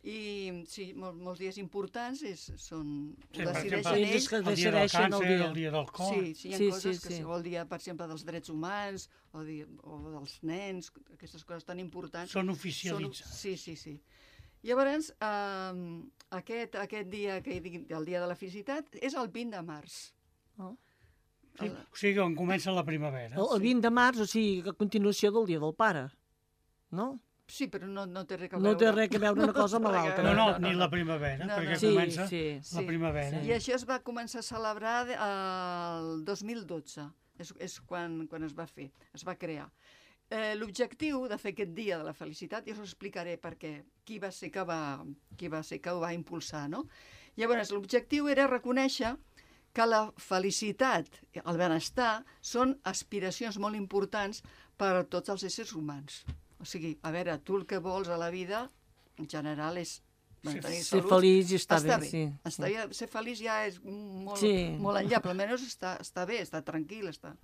I sí, molts dies importants són... Sí, per exemple, el dia del càncer, el dia del cor... Sí, hi ha coses que el dia, per exemple, dels drets humans o dels nens, aquestes coses tan importants... Són oficialitzades. Sí. Llavors, aquest dia, el dia de la felicitat, és el 20 de març. Sí, o sigui, on comença la primavera. El 20 de març, o sigui, a continuació del dia del pare, no? Sí, però no té res a veure. No té res a veure una cosa amb l'altra. No, ni la primavera, perquè comença la primavera. I això es va començar a celebrar el 2012, és quan es va fer, es va crear. L'objectiu de fer aquest dia de la felicitat, ja us ho explicaré perquè qui va ser que ho va impulsar, no? Llavors, l'objectiu era reconèixer que la felicitat, el benestar, són aspiracions molt importants per a tots els éssers humans. O sigui, a veure, tu el que vols a la vida, en general, és mantenir salut. Ser feliç i estar bé, sí. Ser feliç ja és molt enllà, però almenys està bé, està tranquil, està...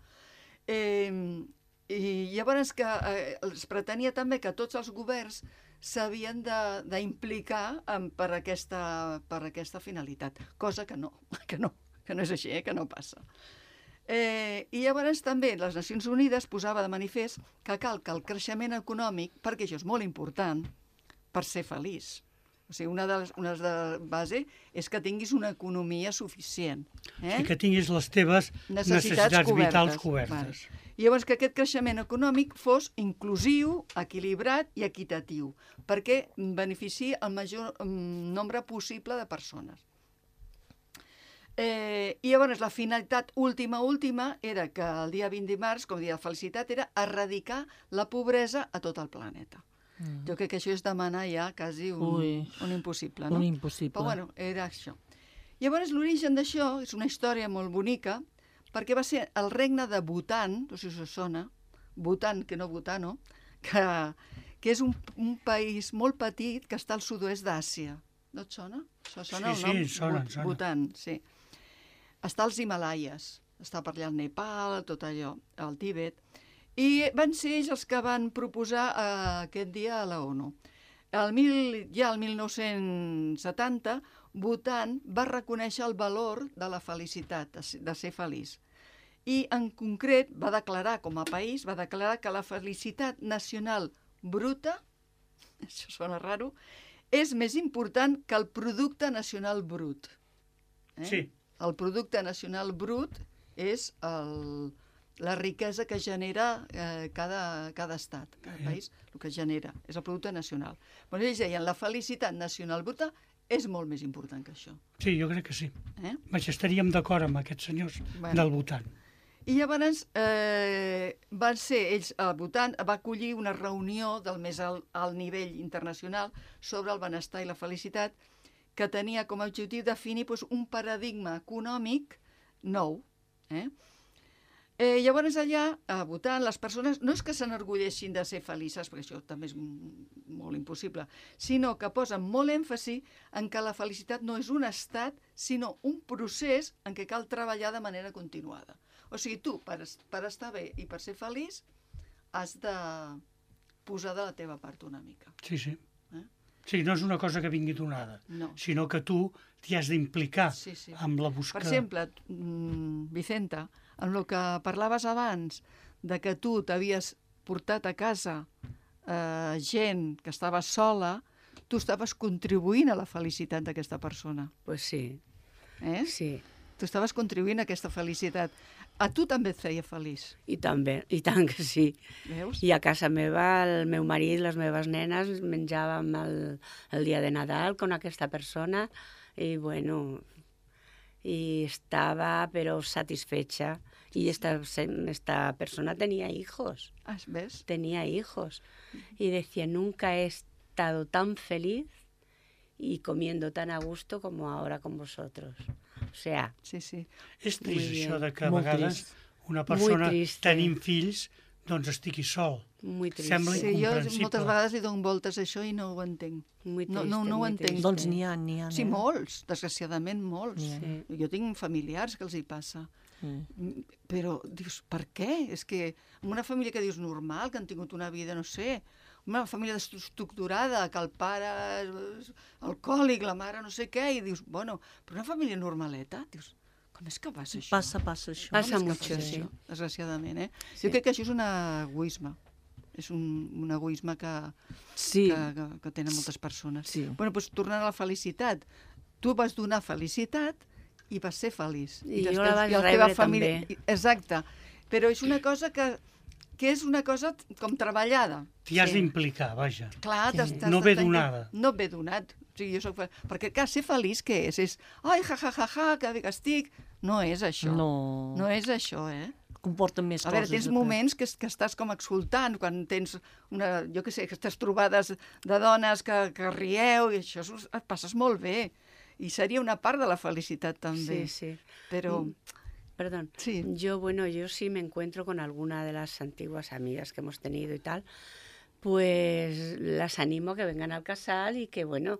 I llavors que es pretenia també que tots els governs s'havien d'implicar per aquesta finalitat, cosa que no és així, que no passa. I llavors també les Nacions Unides posava de manifest que cal que el creixement econòmic, perquè això és molt important, per ser feliç. O sigui, una de les bases és que tinguis una economia suficient. I que tinguis les teves necessitats vitals cobertes. I llavors que aquest creixement econòmic fos inclusiu, equilibrat i equitatiu, perquè beneficiï el major nombre possible de persones. I llavors la finalitat última era que el dia 20 de març, com a dia de felicitat, era erradicar la pobresa a tot el planeta. Jo crec que això és demanar ja quasi un impossible, no? Un impossible. Però bueno, era això. Llavors l'origen d'això és una història molt bonica, perquè va ser el regne de Bhutan, no sé si us sona, Bhutan, que no Bhutano, que és un país molt petit que està al sud-oest d'Àsia. No et sona? Això sona el nom? Sí, sona. Bhutan, sí. Està als Himalaies, està per allà al Nepal, tot allò, al Tíbet, i van ser ells els que van proposar aquest dia a la ONU. Ja el 1970, Bhutan va reconèixer el valor de la felicitat, de ser feliç. I en concret va declarar, com a país, que la felicitat nacional bruta, això sona raro, és més important que el producte nacional brut. Sí. El producte nacional brut és la riquesa que genera cada estat, cada país, el que genera, és el producte nacional. Però ells deien, la felicitat nacional bruta és molt més important que això. Sí, jo crec que sí. Estaríem d'acord amb aquests senyors del Bhutan. I llavors van ser ells, el Bhutan va acollir una reunió del més alt nivell internacional sobre el benestar i la felicitat, que tenia com a objectiu definir un paradigma econòmic nou. Llavors allà, a Bhutan, les persones no és que s'enorgulleixin de ser felices, perquè això també és molt impossible, sinó que posen molt èmfasi en que la felicitat no és un estat, sinó un procés en què cal treballar de manera continuada. O sigui, tu, per estar bé i per ser feliç, has de posar de la teva part una mica. Sí. Sí, no és una cosa que vingui donada, sinó que tu t'hi has d'implicar amb la busca. Per exemple, Vicenta, amb el que parlaves abans, de que tu t'havies portat a casa gent que estava sola, tu estaves contribuint a la felicitat d'aquesta persona. Pues sí. Sí. Tu estaves contribuint a aquesta felicitat. A tu també et feia feliç. I també, i tant que sí. Veus? I a casa meva, el meu marit, les meves nenes, menjàvem el dia de Nadal con aquesta persona i, bueno, y estaba, pero satisfecha. Y esta persona tenía hijos. ¿Ves? Tenía hijos. Y decía, nunca he estado tan feliz y comiendo tan a gusto como ahora con vosotros. O sea... Sí. És trist això de que a vegades una persona tenint fills doncs estigui sol. Muy trist. Sembla incomprensible. Jo moltes vegades li dono voltes a això i no ho entenc. No ho entenc. Doncs n'hi ha. Sí, molts, desgraciadament molts. Sí. Jo tinc familiars que els hi passa. Però dius, per què? És que en una família que dius normal, que han tingut una vida, no sé, una família desestructurada, que el pare és alcohòlic, la mare no sé què, i dius, bueno, però una família normaleta, dius, com és que passa això? Passa això. Passa mucho, sí. Desgraciadament, Sí. Jo crec que això és un egoisme. És un egoisme que tenen moltes persones. Sí. Bueno, doncs tornant a la felicitat. Tu vas donar felicitat i vas ser feliç. I jo la vaig rebre també. Exacte. Però és una cosa que és una cosa com treballada. T'hi has d'implicar, vaja. Clar, no ve donada. No ve donat. O sigui, jo soc perquè, clar, ser feliç què és? És, ai, que bé que estic. No és això. No és això, Comporten més coses. A veure, tens moments que estàs com exultant, quan tens aquestes trobades de dones que rieu, i això et passes molt bé. I seria una part de la felicitat, també. Sí. Però... Perdón. Sí. Yo sí me encuentro con alguna de las antiguas amigas que hemos tenido y tal, pues las animo a que vengan al casal y que, bueno,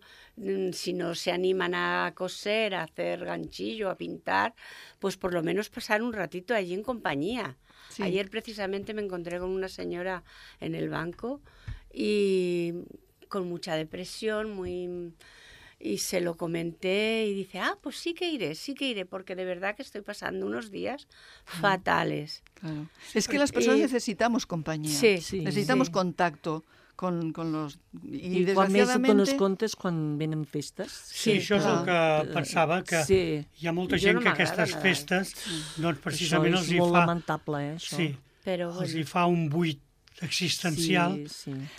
si no se animan a coser, a hacer ganchillo, a pintar, pues por lo menos pasar un ratito allí en compañía. Sí. Ayer precisamente me encontré con una señora en el banco y con mucha depresión, y se lo comenté y dice, pues sí que iré, porque de verdad que estoy pasando unos días fatales. Claro. Es que las personas necesitamos compañía, necesitamos contacto con los... I quan més et dones comptes quan venen festes. Sí, això és el que pensava, que hi ha molta gent que aquestes festes, doncs precisament els hi fa... Això és molt lamentable, això. Sí, els hi fa un buit existencial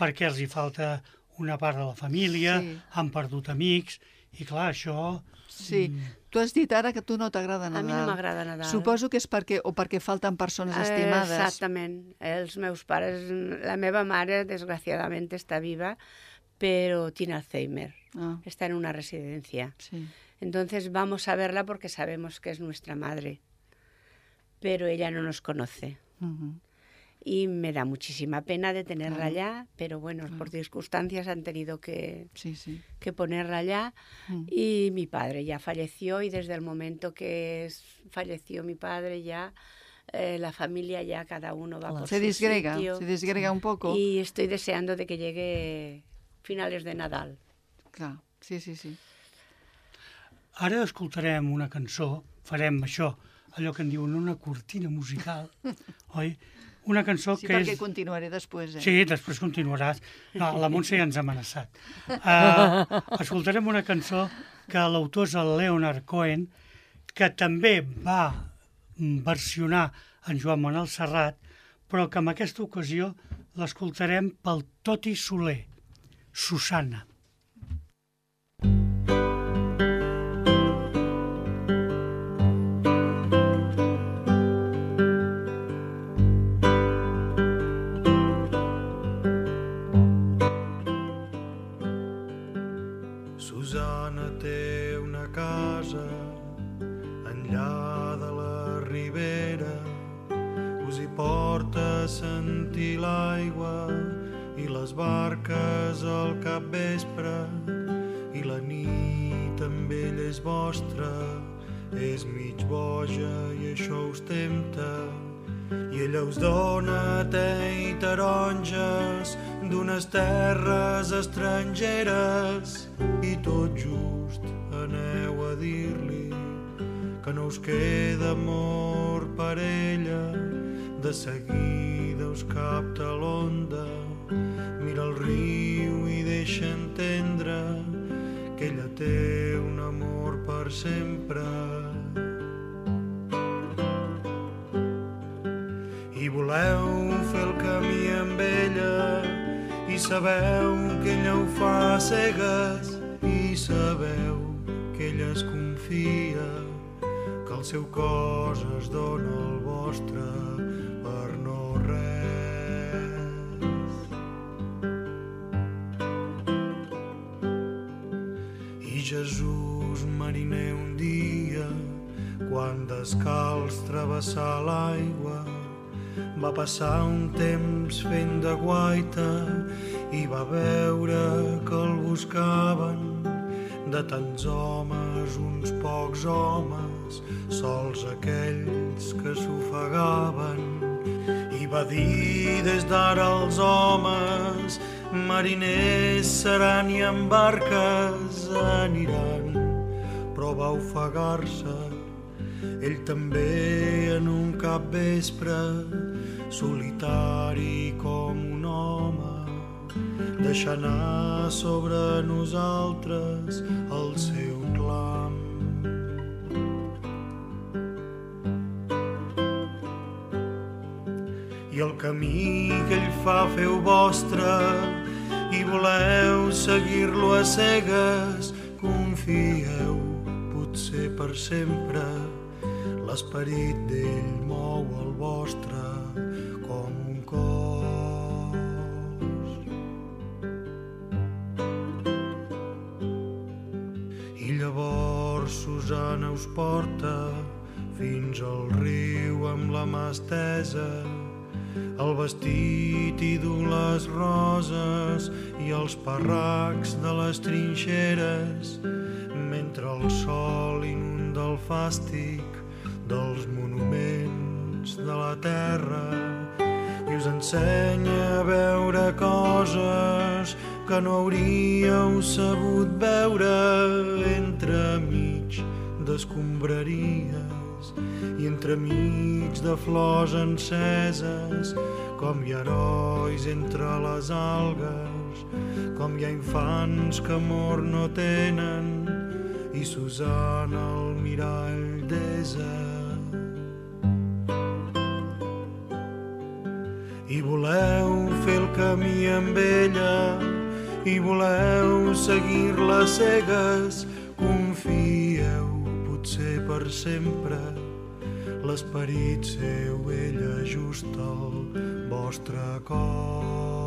perquè els hi falta una part de la família, han perdut amics, i clar, això... Sí, tu has dit ara que a tu no t'agrada Nadal. A mi no m'agrada Nadal. Suposo que és perquè falten persones estimades. Exactament. Els meus pares, la meva mare, desgraciadamente, está viva, pero tiene Alzheimer. Está en una residencia. Sí. Entonces vamos a verla porque sabemos que es nuestra madre, pero ella no nos conoce. Y me da muchísima pena de tenerla allá, pero bueno, por circunstancias han tenido que ponerla allá. Y mi padre ya falleció, y desde el momento que falleció mi padre ya, la familia ya cada uno va por su sitio. Se disgrega un poco. Y estoy deseando de que llegue finales de Nadal. Clar, sí. Ara escoltarem una cançó, farem això, allò que en diuen una cortina musical, oi? Una cançó que és... Sí, perquè continuaré després, Sí, després continuaràs. No, la Montse ja ens ha amenaçat. Escoltarem una cançó que l'autor és el Leonard Cohen, que també va versionar en Joan Manuel Serrat, però que en aquesta ocasió l'escoltarem pel Toti Soler, Susana. Susana té una casa enllà de la ribera, us hi porta a sentir l'aigua i les barques al capvespre, i la nit amb ell és vostra, és mig boja i això us tempta, i ella us dona te i taronges d'unes terres estrangeres, i tot just aneu a dir-li que no us queda amor per ella. De seguida us capta l'onda, mira el riu i deixa entendre que ella té un amor per sempre. I voleu fer el camí amb ella, i sabeu que ella ho fa a cegues, i sabeu que ella es confia, que el seu cos es dona al vostre per no res. I Jesús mariner un dia, quan descalç travessar l'aigua, va passar un temps fent de guaita i va veure que el buscaven de tants homes, uns pocs homes, sols aquells que s'ofegaven. I va dir des d'ara els homes mariners seran i en barques aniran, però va ofegar-se ell també en un capvespre, solitari com un home, deixar anar sobre nosaltres el seu clam. I el camí que ell fa feu vostre i voleu seguir-lo a cegues, confieu, potser per sempre, l'esperit d'ell mou el vostre com un cos. I llavors Susana us porta fins al riu amb la mà estesa, el vestit i du les roses i els parracs de les trinxeres, mentre el sol inunda el fàstic dels monuments de la terra i us ensenya a veure coses que no hauríeu sabut veure entremig d'escombraries i entremig de flors enceses, com hi ha herois entre les algues, com hi ha infants que amor no tenen i Susana al mirall desa. I voleu fer el camí amb ella i voleu seguir-la cegues, confieu, potser per sempre, l'esperit seu ell ajusta el vostre cos.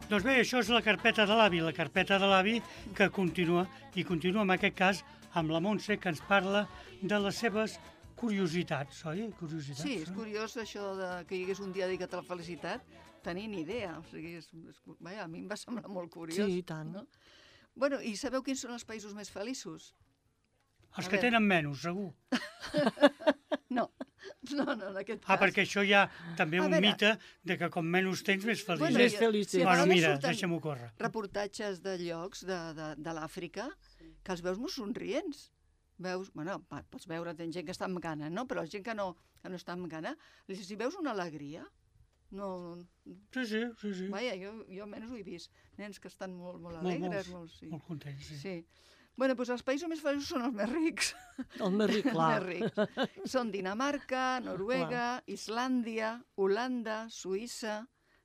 Doncs bé, això és la carpeta de l'avi, que continua, i continua en aquest cas amb la Montse, que ens parla de les seves curiositats, oi? Curiositats, sí, és curiós això que hi hagués un dia dedicat a la felicitat, tenir ni idea. O sigui, vaja, a mi em va semblar molt curiós. Sí, i tant. No? Bueno, i sabeu quins són els països més feliços? Els que tenen menys, segur. No, en aquest cas. Perquè això hi ha també un mite de que com menys tens, més feliç. Bueno, més feliç. Sí, bueno, mira, deixa'm-ho córrer. Reportatges de llocs de l'Àfrica que els veus molt somrients. Veus, bueno, pots veure, tens gent que està amb gana, no? Però gent que no està amb gana, si veus una alegria, no... Sí. Vaja, jo almenys ho he vist. Nens que estan molt alegres. Molt contents, sí. Bueno, doncs els països més feliços són els més rics. Els més rics, clar. Els més rics. Són Dinamarca, Noruega, Islàndia, Holanda, Suïssa,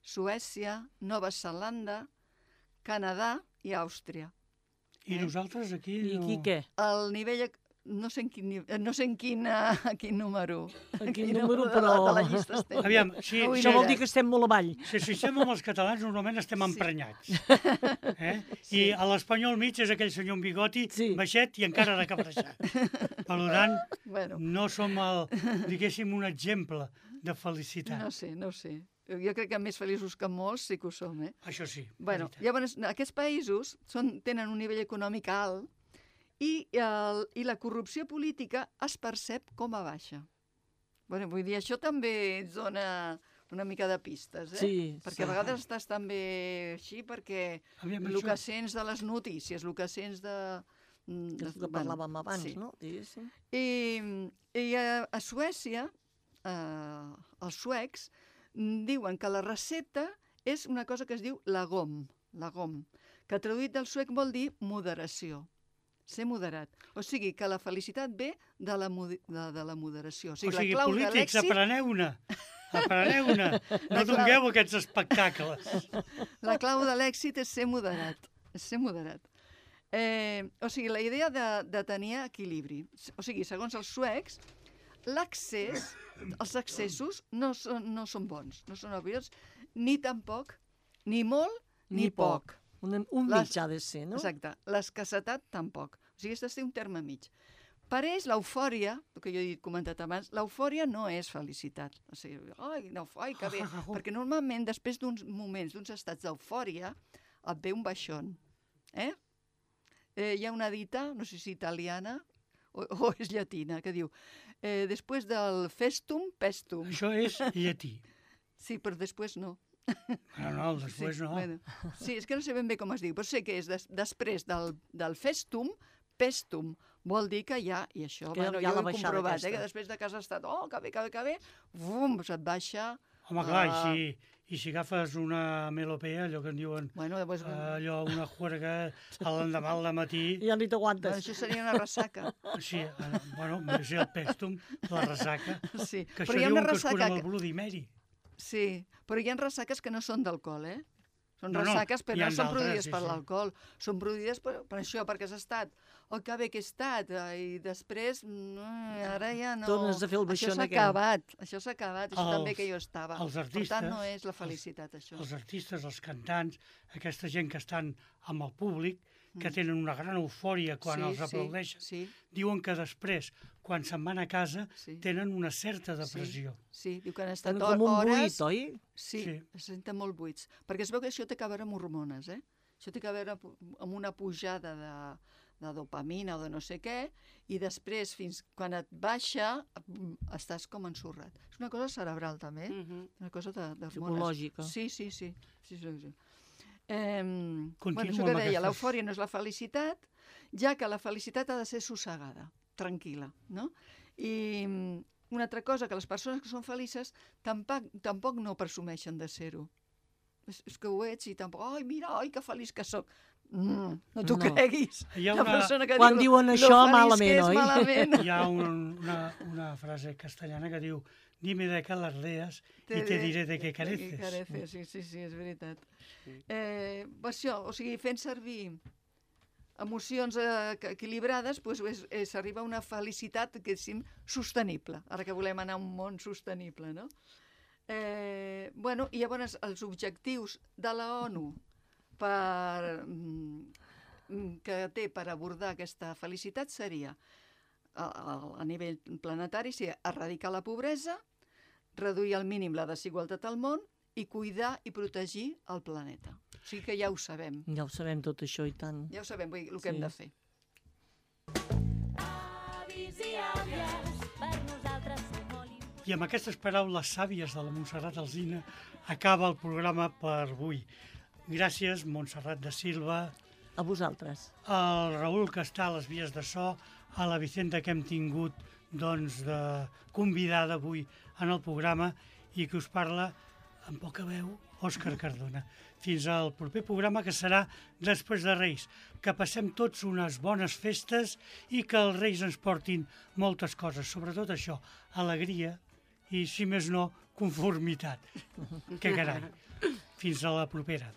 Suècia, Nova Zelanda, Canadà i Àustria. I nosaltres aquí... I aquí què? El nivell... No sé en quin número. En quin número, però... De la llista estem. Aviam, això vol dir que estem molt avall. Si estem amb els catalans, normalment estem emprenyats. I a l'espanyol mig és aquell senyor amb bigoti, baixet i encara de cabreixat. Per tant, no som, diguéssim, un exemple de felicitat. No sé. Jo crec que més feliços que molts sí que ho som, Això sí. Llavors, aquests països tenen un nivell econòmic alt i la corrupció política es percep com a baixa. Vull dir, això també ens dona una mica de pistes, perquè a vegades estàs també així perquè el que sents de les notícies, el que sents de... És el que parlàvem abans, no? I a Suècia, els suecs diuen que la recepta és una cosa que es diu lagom, que traduït del suec vol dir moderació. Ser moderat. O sigui, que la felicitat ve de la moderació. O sigui, polítics, apreneu-ne. No dongueu aquests espectacles. La clau de l'èxit és ser moderat. O sigui, la idea de tenir equilibri. O sigui, segons els suecs, els excessos no són bons, no són obvis, ni tampoc, ni molt, ni poc. Un mitjà ha de ser, no? Exacte. L'escassetat tampoc. O sigui, has de ser un terme mig. Per ells, l'eufòria, el que jo he comentat abans, l'eufòria no és felicitat. O sigui, ai, que bé. Perquè normalment, després d'uns moments, d'uns estats d'eufòria, et ve un baixón. Hi ha una dita, no sé si italiana o és llatina, que diu després del festum, pestum. Això és llatí. Sí, però després no. No, després no. Sí, és que no sé ben bé com es diu, però sé que és després del festum, pestum. Vol dir que ja, i això, jo ho he comprovat, que després de que has estat, que bé, bum, se't baixa... Home, clar, i si agafes una melopea, allò que en diuen, allò, una juerga, l'endemà al matí... Ja ni t'aguantes. Això seria una ressaca. Sí, bueno, és el pèstum, la ressaca, sí. Que això diuen que es cura amb el Bloody Mary. Sí, però hi ha ressaques que no són d'alcohol, Són ressaques, però no són produïdes per l'alcohol. Són produïdes per això, perquè has estat. Que bé que he estat. I després, ara ja no... Tornes a fer el baixón aquell. Això s'ha acabat. Això també que jo estava. Per tant, no és la felicitat, això. Els artistes, els cantants, aquesta gent que estan amb el públic, que tenen una gran eufòria quan els aplaudeixen, diuen que després, quan se'n van a casa, tenen una certa depressió. Sí, diu que han estat hores... Com un buit, oi? Sí, es senten molt buits. Perquè es veu que això té a veure amb hormones, Això té a veure amb una pujada de dopamina o de no sé què, i després, fins quan et baixa, estàs com ensorrat. És una cosa cerebral, també, una cosa d'hormones. Psicològica. Sí. Això que deia, l'eufòria no és la felicitat, ja que la felicitat ha de ser sossegada, tranquil·la, no? I una altra cosa, que les persones que són felices tampoc no presumeixen de ser-ho. És que ho ets i tampoc, mira, que feliç que sóc. No t'ho creguis. Quan diuen això, malament, oi? Hi ha una frase castellana que diu dime de qué alardeas y te diré de qué careces. Sí, és veritat. Això, o sigui, fent servir emocions equilibrades, s'arriba a una felicitat, diguéssim, sostenible, ara que volem anar a un món sostenible, no? I llavors els objectius de la ONU que té per abordar aquesta felicitat seria, a nivell planetari, erradicar la pobresa, reduir al mínim la desigualtat al món i cuidar i protegir el planeta. O sigui que ja ho sabem. Ja ho sabem tot això i tant. Ja ho sabem, vull dir, el que hem de fer. I amb aquestes paraules sàvies de la Montserrat Alsina acaba el programa per avui. Gràcies, Montserrat de Silva. A vosaltres. Al Raül, que està a les vies de so, a la Vicenta, que hem tingut de convidada avui en el programa, i que us parla amb poca veu, Òscar Cardona. Fins al proper programa, que serà després de Reis. Que passem tots unes bones festes i que els Reis ens portin moltes coses, sobretot això, alegria i, si més no, conformitat. Que carai. Fins a la propera.